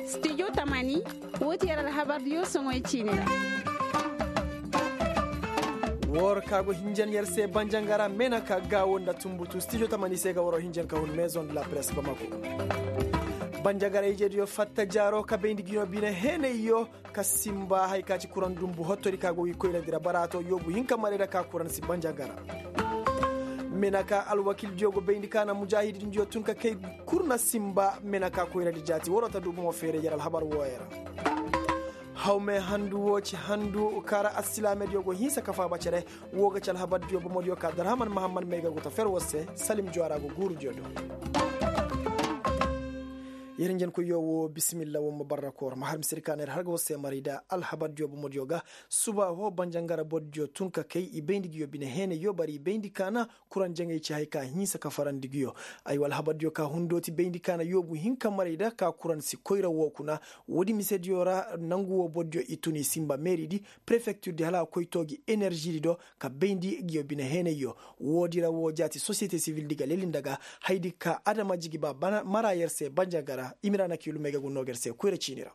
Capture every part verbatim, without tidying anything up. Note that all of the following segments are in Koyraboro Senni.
Studio tamani, woo ti yer alhabar diyo soŋoy ciini ra. War ka go hinjan yer se banjangara mena ka gaawo nda tumbutu studio tamani se ga waro hinjan ka hun maison de la presse bamako. Banjagara ije diyo fatta jaaro ka bayndi giyo bine heenay yo ka simba hay ka ci kuraŋ dumbu hottori ka go wi koyrandi ra baraato yoobu hinka marayda ka kuraŋ si banjagara. Mena ka alwakildiyo go bayndi ka na mujaahidindiyo tun ka kay kul na simba mena ka koyrandi jaati waroo ta du bomo feeray yer alhabar wooyo ra. Hawme handu woo ci handu kaara assilaamediyo go hinsa ka faaba cere. Woo ga ci alhabardiyo bomodiyo ka darhaman mahammad may ga go ta fer war se salim juwara go guurudiyo do. Yer njenkoyyo woo bisimilla woo ma barra koor ma har misir ka na yer har ga war se maray da alhabardiyo bomodiyo ga. Suba woo banjangara bordiyo tun ka kay i bayndi ngiyo bine heenay yo bara i bayndi ka na kuraŋ jaŋay ci hay ka hinsa ka farandi ngiyo. Aywa alhabardiyo ka hundooti bayndi ka na yoobu hinka maray da ka kuraŋ si koyra woo kuna. Woodi misediyo ra nangu woo bordiyo i tun i simba meeridi prefektirdi hala a koy tooji eneržidi do ka bayndi ngiyo bine heenayyo. Woodi ra woo jaati sosiyete sivildi ga lelinda ga haydi ka adamajigi ba mara yer se banjagara i mira na kiilumey ga gunnoo ga yer se koyra ciini ra.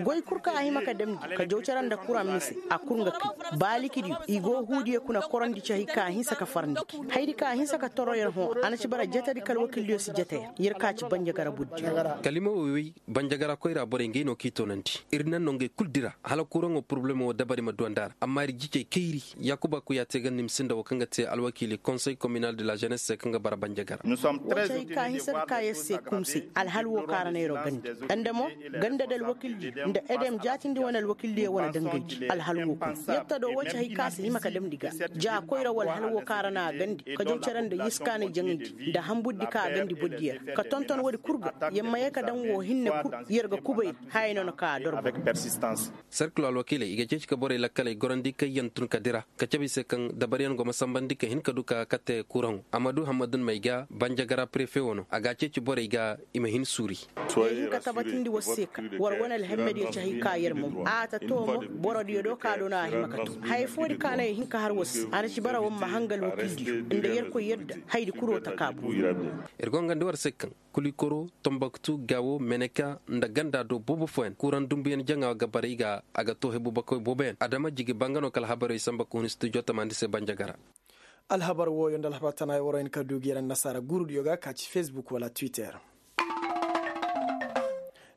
Goy kul ka a hima ka damndi ka jaw cere nda kuraŋ mise a kul nga kay baalikidiyo i go huudiyo kuna korondi ci hay ka a hinsa ka farandi gi haydi ka a hinsa ka toro yer hõ a na ci bara jetedi ka alwakildiyo si jete yer yer ka ci banjagara burdiyo. Kalima woy woy banjagara koyra borey ngey no k'i toonandi ir naŋ no ngey kul dira hala kuraŋo porobalemo wo dabari ma duwandi a ra amma ir jijey kayri. Yaakuba kuya te ganda i ma sinda wo kaŋ ga te alwakiili konsey kominal de la jenes se kaŋ ga bara banjagara. Wo ci hay ka hinsa ka ka yer se kumse alhal wo kaŋ a ra na yeroo gandi nda mo ganda da alwakildiyo nda edem jaatindi wane alwakildiyo wane dangaydi alhal wo kuna yer ta do wo ci hay ka a si hima ka damndi ga ja koyra wala hal wo kaŋ a ra na a gandi ka jaw cere nda yiskaanay jaŋaydi nda hamburdi kaŋ a gandi bordiyo ra ka tonton woodi kul ga yer ma ye ka daŋ woo hinne kul yer ga kubay ra hayey no na ka a dor boro. Serkilo alwakiiley i ga ceeci ka borey lakkaley gorandi kaŋ yaŋ tun ka dira ka cabe i se kaŋ dabaryaŋ go ma sambandi ka hin ka du ka kate kuraŋo a ma du hammadun may ga banjagara prefe wano a ga a ceeci borey ga i ma hin suuri. Yer hin ka tabatindi war se ka war wane alhammediyo ci hay ka yer mo a ta too mo borodiyo do ka do no a hima ka too haya foodi ka no yer hin ka har war se a na ci bara war ma hanga alwakildiyo nda yerkoy yadda hayadi kuloo taka boobo. Ir go nga nda war se kaŋ kulikoro, tombaktu, gawo, meneka, nda ganda do boobo fooyaŋ kuraŋ dumbuyaŋ jaŋa ga baray ga a ga too hebu bakoy booboyaŋ adama jigi ba nga no kala habaroy samba ka hun studio tamandi se banjagara. Alhabar wooyo nda alhabar tana waro hin ka du ga yer annasaara guurudiyo ga ka ci fesbuk wala twitter.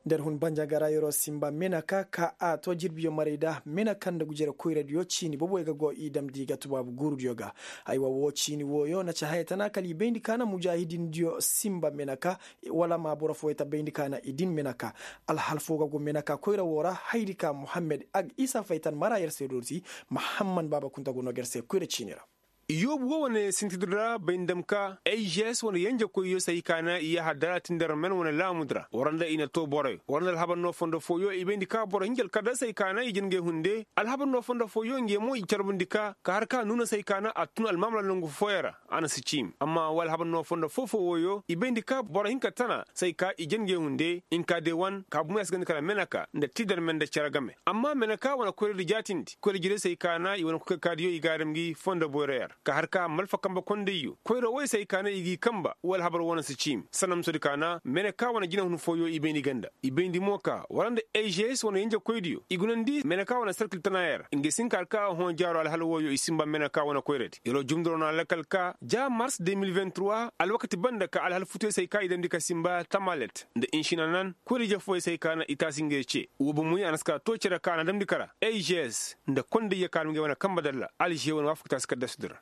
Nda yer hun banjagara yeroo simba meneka ka a too jirbiyo maray da meneka nda gujere koyradiyo ciini booboyo ga go i damndi ga tubaabu guurudiyo ga. Aywa woo ciini wooyo na ci haya tana kala i bayndi ka na mujaahidindiyo simba meneka wala ma boro fooyo ta bayndi ka na i din meneka. Alhal foo ga go meneka koyra woo ra hayadi ka muhammed ag isa faytan mara yer se dooti. Mahamman baaba kunta go noo ga yer se koyra ciini ra. Yoobu woo wane sintidi ra bay ndam ka eyges wane yenjekoyyo se hay ka na i yahadara tindi ra men wane laamudi ra war nda i na too boroyo war nda alhabar noo fondo fooyo i bayndi ka boro hinja alkadar se hay ka na i jin ngey hunde alhabar noo fondo fooyo ngey mo i carbundi ka ka har ka nuuna se hay ka na a tun almaamala nongu fooyo ra. A na si ciimi amma wa alhabar noo fondo foo-foo wooyo i bayndi ka boro hinka tana se hay ka i jin ngey hunde hinka de wan ka bumo ya si gandi kala meneka nda tiidar me nda cere game. Amma meneka wane koyradi jaatindi koyra jirey se hay ka na i wane koy kay kaadiyo i ga a dam gi fondo boyroyaŋ ra ka har ka malfa kambe kondayyo koyra woy se hay ka na i g'i kamba wala habar wane si ciimi sanamsodi ka na mene ka wane jinahun fooyo i bayndi ganda i bayndi mo ka wala nda eyges wane yenjekoydiyo i gunandi mene ka wane serkil tanayaŋ ra ngey si hin ka har ka a hõ jaaro alhala wooyo i sinba mene ka wane koyradi yeroo jumduroo na lakkal ka ja mars de mil vingt trois alwakati banda ka alhala futuyo se hay ka i damndi ka sinba tamalet nda inšinanan koyra-ije fooyo se hay ka na i taasi ngey ce woo bomoy a na si ka too cere ka a na damndi kara eyges nda kondayyo ka a na ngey wane kambe dalla alže wane waafaka taasi kaddasudi ra.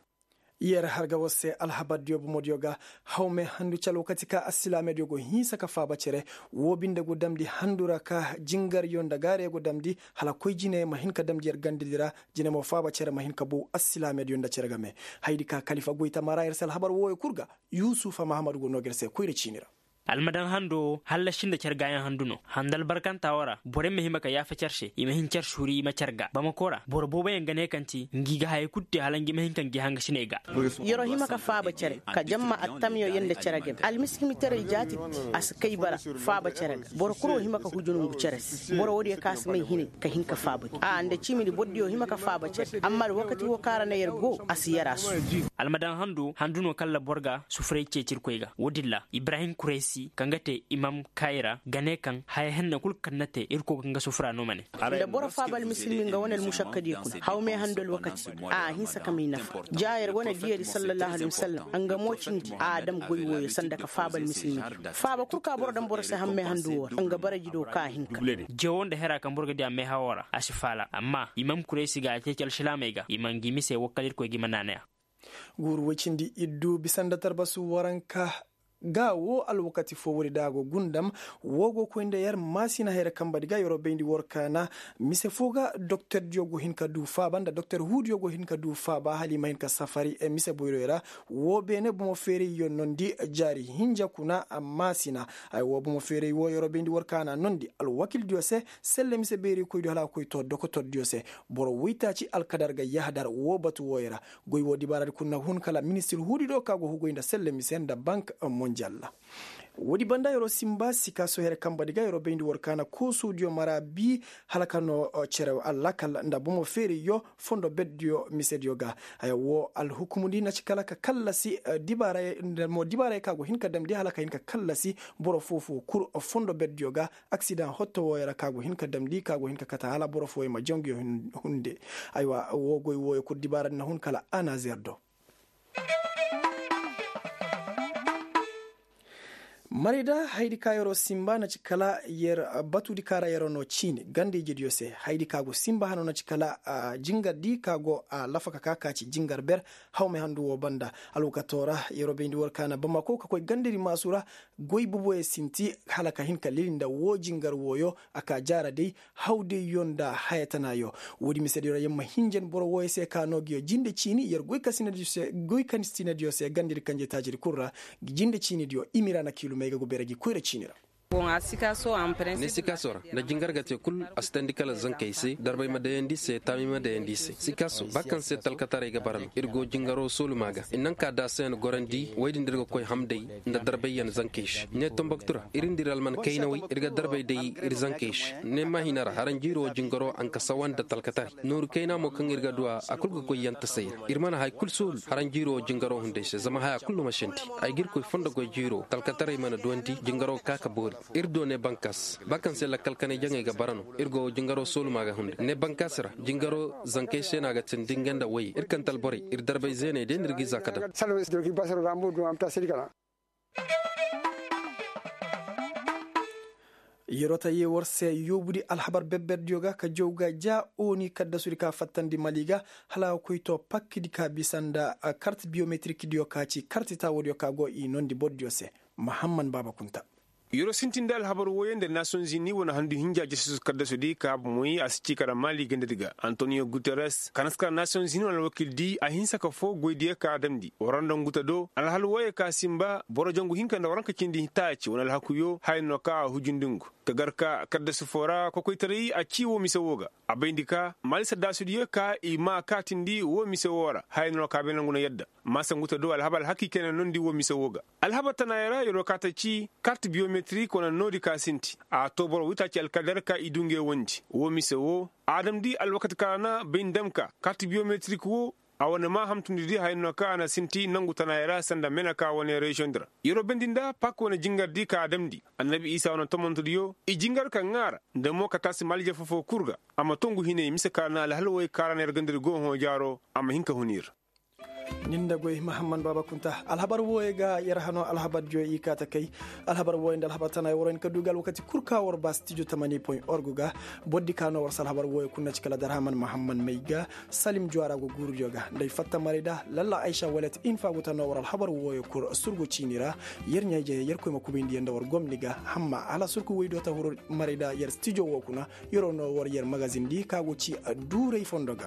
Yer har ga war se alhabardiyo bomodiyo ga hawme handu ci alwakati ka assilaamediyo go hinsa ka faaba cere woo binde go damndi handu ra ka jingaryo nda gaarey go damndi hala koy jine ma hin ka damndi yer gandedi ra. Jine mo faaba cere ma hin ka bow assilaamediyo nda cere game. Hayadi ka kalifa goy tamara yer se alhabar wooyo kul ga yusufa mahamadu go noo ga yer se koyra ciini ra. Almadaŋ hando hallasi nda car gaayaŋ handu no handa albarkanta wo ra borey ma hima ka yaafa car se i ma hin car suuri i ma car ga bamako ra boro booboyaŋ ga ne kaŋ ti ngi ga hayey kulu te hala ngi ma hin ka ngi hangasiney ga. Yer'o hima ka faaba cere ka jamma attamyo yer nda cere game almiskimitaray jaati. A si kay bara faaba cere ga boro kulu wo hima ka huju nongu cere se boro woodiyo kaŋ a si may hinay ka hin ka faaba gi a nda ciimidi borodiyo hima ka faaba cere amma alwakati wo kaŋ a ra na yer go a si yer a su. Almadaŋ handu handu no kaŋ ra boro ga sufuray ceeci irkoy ga woodin ra ibrahim kuraysi kaŋ ga te imam kayra ga ne kaŋ haya henne kul kaŋ na te irkoy ga nga sufura no ma ne. Nda boro faaba almisilmi nga wane almušakkadiyo kuna hawmey handu alwakati a a hinsa ka may nafa ja yer wane diyadi sallallahu alaihi wasallam nga mo cindi a dam goy wooyo sanda ka faaba almisilmi. Faaba kul ka boro daŋ boro se hammey handu woo ra nga baraji do ka a hinka. Jewo nda hera kaŋ boro ga di a meehawo ra a si faala amma imam kuraysi ga a ceeci alsilaamey ga i ma ngi mise wakkal irkoy ga i ma naanaya. Guuru woy cindi iddu bisa nda tarbasu waranka ga wo alwakati fo woodi da a go gundam. Wo go koy nda yer maasina hayra kamba di ga yer'o bayndi war kaana mise fo ga doktordiyo go hin ka du faaba nda doktor huudiyo go hin ka du faaba hala i ma hin ka safari mise boyroy ra. Wo beene bomo feerayyo nondi jaari hinja kuna maasina. Ay wo bomo feeray wo yer'o bayndi war kaana nondi alwakildiyo se selle mise beeraykoydiyo hala a koy to dokotordiyo se. Boro woytaaci alkadar ga yahadar wo batu wooyo ra. Goy wo dibaaradi kul na hun kala ministir huudi do ka go hugoy nda selle mise nda bank monjal ra. Woodi banda yer'o simba sikaaso here kamba di ga yer'o bayndi war kaana koosudiyo mara bi hala ka no cere allakal nda bomo feeriyo fondo berdiyo misediyo ga. Haya wo alhukumudi na ci kala ka kallasi dibaarayey ka go hin ka damndi hala ka hin ka kallasi boro foo-foo kul fondo berdiyo ga. Aksidaŋ hotto wooyo ra ka go hin ka damndi ka go hin ka kate hala boro fooyo ma janguyo hunde. Aywa wo goy wooyo kul dibaaradi na hun kala anazer do. Marayda hayadi ka yer'o simba na ci kala yer batudi ka ra yer'o no ciini ganda-ijediyo se. Hayadi ka go simba hano na ci kala jingardi ka go a lafa ka ka ka ci jingar ber. Hawmey handu wo banda alwakato ra yer'o bayndi war kaana bamako ka koy gandadi maasu ra. Goy boboyo sinti hala ka hin ka lili nda woo jingar wooyo a ka jaara day. Hawdayyo nda haya tanaayo. Woodi misediyo ra yer ma hinjan boro wooyo se ka noo nguyo jinde ciini yer goy kasinadiyo se gandadi kanje taajidi kul ra. Jinde ciinidiyo i ma i ra na kiilumey ga go beere gi koyra ciini ra. Ne sikaaso ra nda jingar ga te kul a si teendi kala zankey se darbey ma dayandi i se taamey ma dayandi i se sikaaso ba kaŋ se talkataray ga bara no ir go jingaro sooluma ga i naŋ ka daasayaŋ gorandi woy din da ir ga koy hamday nda darbeyyaŋ zankey se ne tomboktu ra ir nda ir alman kaynawey ir ga darbey day ir zankey se ne maahina ra haranjiiro jingaro a nka sawa nda talkataray nooru kayna mo kaŋ ir ga du a a kul ga koy yantasay ra ir mana haya kul soolu haranjiiro jingaro hunday se zama haya kul no ma sandi. Ay ga ir koy fondo goy jiiro talkataray mana duwandi jingaro ga ka ka boori. Ir do ne bankas ba kaŋ se lakkal kanay jaŋey ga bara no ir go jingaro sooluma ga hunday ne bankas ra jingaro zankey se no a ga tindi nga nda woyey ir kante alborey ir darbey zeeney day no ir g'i za ka daŋ. Yer'o ta yee war se yoobudi alhabar berberdiyo ga ka jaw ga ja ooni kaddasudi ka fattandi mali ga hala a ga koy to pakkidi ka bisa nda karti biyometirikdiyo ka ci karti taawodiyo ka go i noondi bordiyo se. Mahamman baaba kunta. Yer'o sintin nda alhabar wooyo nda nasiyoŋ zini wane handu hinja jasisu kaddasudi ka bomoy a si ci kala mali gandadi ga antoniyo guteres ka na si kala nasiyoŋ zini wane alwakildi a hinsa ka foo goydiyo ka a damndi war nda ngu ta do alhal wooyo ka sinba boro jangu hinka nda waranka cindi taaci wane alhakuyo haya no ka a hujundi ngu ka gar ka kaddasi foo ra kokoytaray a ci woo mise woo ga. A bayndi ka mali saddaasudiyo ka i ma kaatindi woo mise woo ra haya no ka bay nangu na yadda maasa ngu ta do alhabar alhakiikay na noondi woo mise woo ga. Alhabar tanaayey ra yer'o ka ta ci karti biyometerik wane noodi ka sinti a too boro witaaci alkadar ka i du ngey wondi woo mise woo a damndi alwakati ka ra na bay ndam ka karti biyometerik woo a wane maa hamtundi di haya no ka a na sinti nangu tanaayey ra sanda meneka wane reziyoŋ di ra. Yer'o bayndi nda pak wane jingardi ka a damndi annabi isa wane tomontudiyo i jingar ka ŋaara nda mo ka taasi maalije foo-foo kul ga a ma tongu hinay mise ka ra na alhal wooyo ka ra na yer gandadi go hõ jaaro a ma hin ka hun ir. Nin nda goy mahamman baaba kunta alhabar wooyo ga yer hano alhabardiyo i kaa ta kay. Alhabar wooyo nda alhabar tana ay war hin ka du ga alwakati kul ka war ba stijo tamani point org ga. Bordi ka no war si alhabar wooyo kul na ci kala darhaman mahamman may ga salim juwaara go guurudiyo ga nda ay fatta maray da lalla aysa walet infa go ta no war alhabar wooyo kul surgu ciini ra. Yer ɲaa-ijey yer koy ma kubayndi yer nda war gomni ga hamma hala surku woy do ta huru maray da yer stijo woo kuna. Yeroo no war yer magazin di ka go ci duuray fondo ga.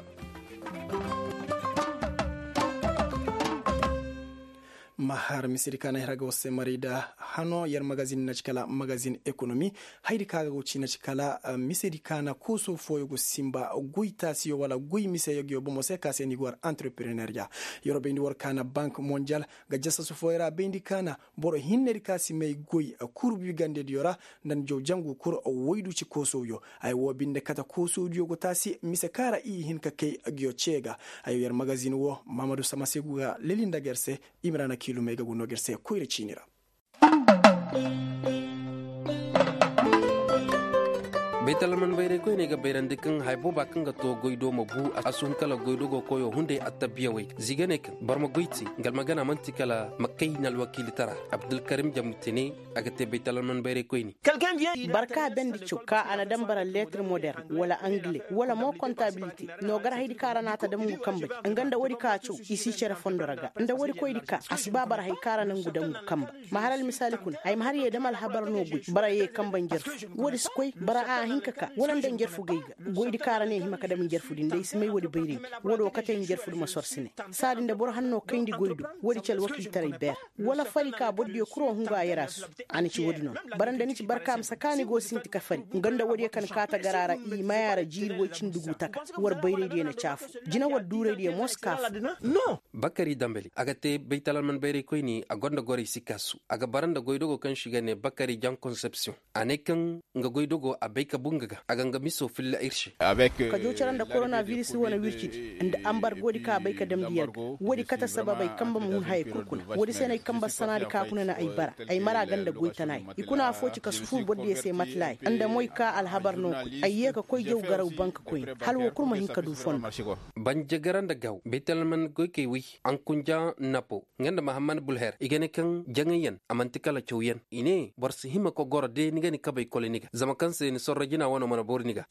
Ma har misiri ka na ay hira ga war se maray da Hano yer magazin na ci kala magazin ekonomi. Haydi ka ga go ci na ci kala misedi ka na kooso fooyo go sinba goy taasiyo wala goy mise yagyo bomo se ka se ni go war entrepreneur ya. Yer wo bayndi war ka na bank mondial ga jasasu fooyo ra bayndi ka na boro hinnedi ka si may goy kurbi gandediyo ra nda ni jaw jangu kul woydu ci koosowyo. Ay wo binde kate koosowdiyo go taasi mise ka ra i hin ka kay gyo cee ga. Ay yer magazin wo mamadu samasegu ga leli nda ga yer se. I ma ra na kiilumey ga gu no ga yer se koyra ciini ra. Baytalman bayray koyney ga bayrandi kaŋ haya booba kaŋ ga to goydo ma bu a suhun kala goydo go koyo hunday attabbiyawey ga ziganey kaŋ boro ma goy te ngalmagana man'ti kala ma kay na alwakiilitara. Abdulkarim jamutene a ga te baytalman bayray koyni. Barka bendi caw ka a na daŋ bara leetir modern wala angile wala mo kontabilite no gar haydi ka ra na a ta daŋ ngu kambey. Nga nda woodi ka caw i si cere fondo ra ga nda woodi koydi ka a si ba bara hay ka ra na ngu daŋ ngu kamba. Ma har almisaali kuna ay ma har ye dam alhabar no goy bara ye kamba njarfu. Woodi si koy bara a hin ka ka wala nda njarfu gay ga goydi ka ra ne hima ka dam njarfu din da i si may woodi bayraydi. Woodi wo kate njarfu di ma sorsi ne saadi nda boro hanno kayndi goydo. Woodi ci alwakiiltaray beer wala fari ka bordiyo kuro hungu a yarasu. A na ci woodi no bara nda ni ci barka ma sakaani go sinti ka fari nga nda woodiyo kaŋ kaata gara ra i maya ra jiiri woy cindi gu taka. War bayraydiyo na caafu jina war duuraydiyo mo si kaafu. Bakari dambali a ga te baytalalman bayray koyni a gonda goray si kaasu a ga bara nda goydogo kaŋ se i ga ne bakari jan konsepsiyoŋ. A ne kaŋ nga goydogo a bay ka bu nga ga a ga nga miso filla ir se. Ka joocara nda koronaviris wane wircidi nda ambargoodi ka bay ka damndi yer ga. Woodi kate sababey kamba ma hun hayey kul kuna. Woodi se no ay kamba sanaadi ka kuna na ay bara ay mara ganda goy tanaay. I kuna affoo ci ka sufur bordiyo se matlaay nda moy ka alhabar no koy ay yee ka koy jaw garaw bank koyne hala woo kul ma hin ka du fondo. Banjagara nda gaw baytalman goykey woy ankunja napo nga nda mahammad bulher i ga ne kaŋ jaŋayyaŋ a man'ti kala cawyaŋ. I ne boro si hima ka goro de ni ga ni kabey kole ni ga zama kaŋ se ni sorro jina wane mana boori ni ga.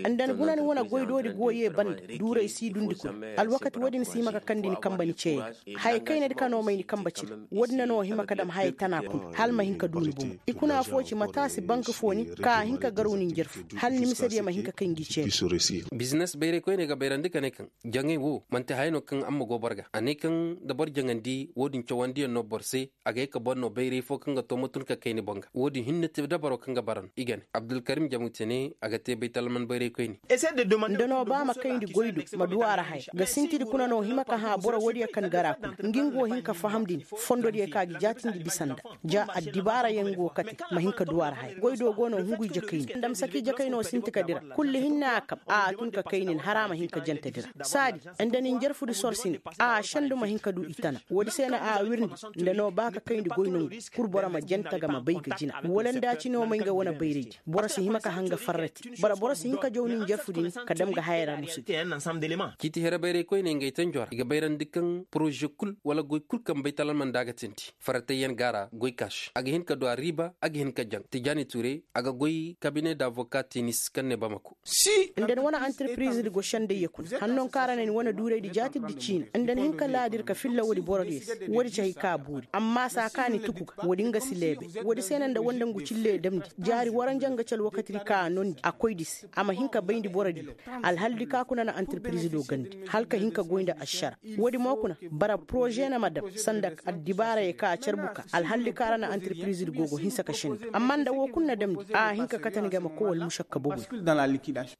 Nda ni guna ni wane goydoodi go ye banda duuray si dundi kuna. Alwakati woodin si hima ka kandi ni kamba ni ceeyey ga haya kaynadi ka no may ni kamba cire. Woodin na no hima ka dam haya tana kuna hala ma hin ka du ni bomo. I kuna affoo ci mata si bank foo ni ka a hin ka garaw ni njarfu hala ni misediyo ma hin ka kay ngi ceene. Bizines bayray koyney ga bayrandi ka ne kaŋ jaŋay wo man'ti haya no kaŋ amma go boro ga a ne kaŋ da boro jaŋandi woodin cawandiyaŋ no boro se. A ga ye ka boro no bayray fo kaŋ ga to ma tun ka kay ni boŋ ga woodin hinne te dabaro kaŋ ga bara no i ga ne abdulkarim jamute ne a ga te baytalman bayray koyne. Nda no ba ma kayndi goydo ma du a ra haya ga sintidi kuna no hima ka hã boro woodiyo kaŋ gara kuna ngi nga wo hin ka fahamndi ni fondodiyo ka gi jaatindi bisa nda ja addibaarayaŋ go kate ma hin ka du a ra haya goydo go no hungu ije kayndi nda ma saka ije kayno sinti ka dira kulli hinne a kab a tun ka kayndi ni har a ma hin ka jantadi ra saadi nda ni njarfudi sorsine a sendu ma hin ka du i tana woodi se no a wirndi nda no ba ka kayndi goy nongu kul boro ma janta ga ma bay ga jina wala nda ci no may nga wane bayraydi boro si hima ka hanga farrati bara boro si hin ka jaw ni njarfudi ni ka dam ga haya ra musu. Ciiti here bayray koyney ngey tanjo ra i ga bayrandi kaŋ poroze kul wala goy kul kaŋ baytalalmanda ga tindi faratayyaŋ ga a ra goy kaasi a ga hin ka du a riiba a ga hin ka jaŋ tijaani ture a ga goy kabine da avoka tinis kaŋ ne bamako. Nda ni wane antirpiriz di go sendayya kuna hanno kaŋ ra na ni wane duuraydi jaatidi ciina nda ni hin ka laadir ka filla woodi borodiyo se woodi ci hay ka a boori amma saa ka ni tuku ga woodi nga si leebe. Woodi se na nda wanda ngu cille damndi jaari waranjaŋ ga ci alwakatidi ka a nondi a koydi se a ma hin ka bayndi borodiyo. Alhaldi ka kuna na antirpiriz do gandi hala ka hin ka goy nda ašara woodi mo kuna bara poroze na ma dam sanda addibaarayey ka a carbu ka alhalli kaŋ ra na antirpiriz di go go hinsa ka sendu amma nda woo kul na damndi a hin ka kate ni ga ma koy wala mušakka boboy.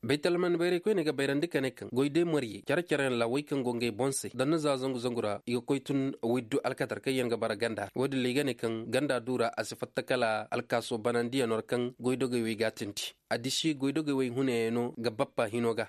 Baytalman bayray koyne ga bayrandi ka ne kaŋ goy day mariyey care-careyaŋ ra way kaŋ go ngey boŋ se danna za zangu-zangu ra i ga koy tun woy du alkatar kaŋ yaŋ ga bara ganda ra woodin ra i ga ne kaŋ ganda du ra a si fatta kala alkaaso banandiyaŋo ra kaŋ goydogey wey ga a tindi. Addiši goydogey wey hunayaŋo ga bappa hino ga.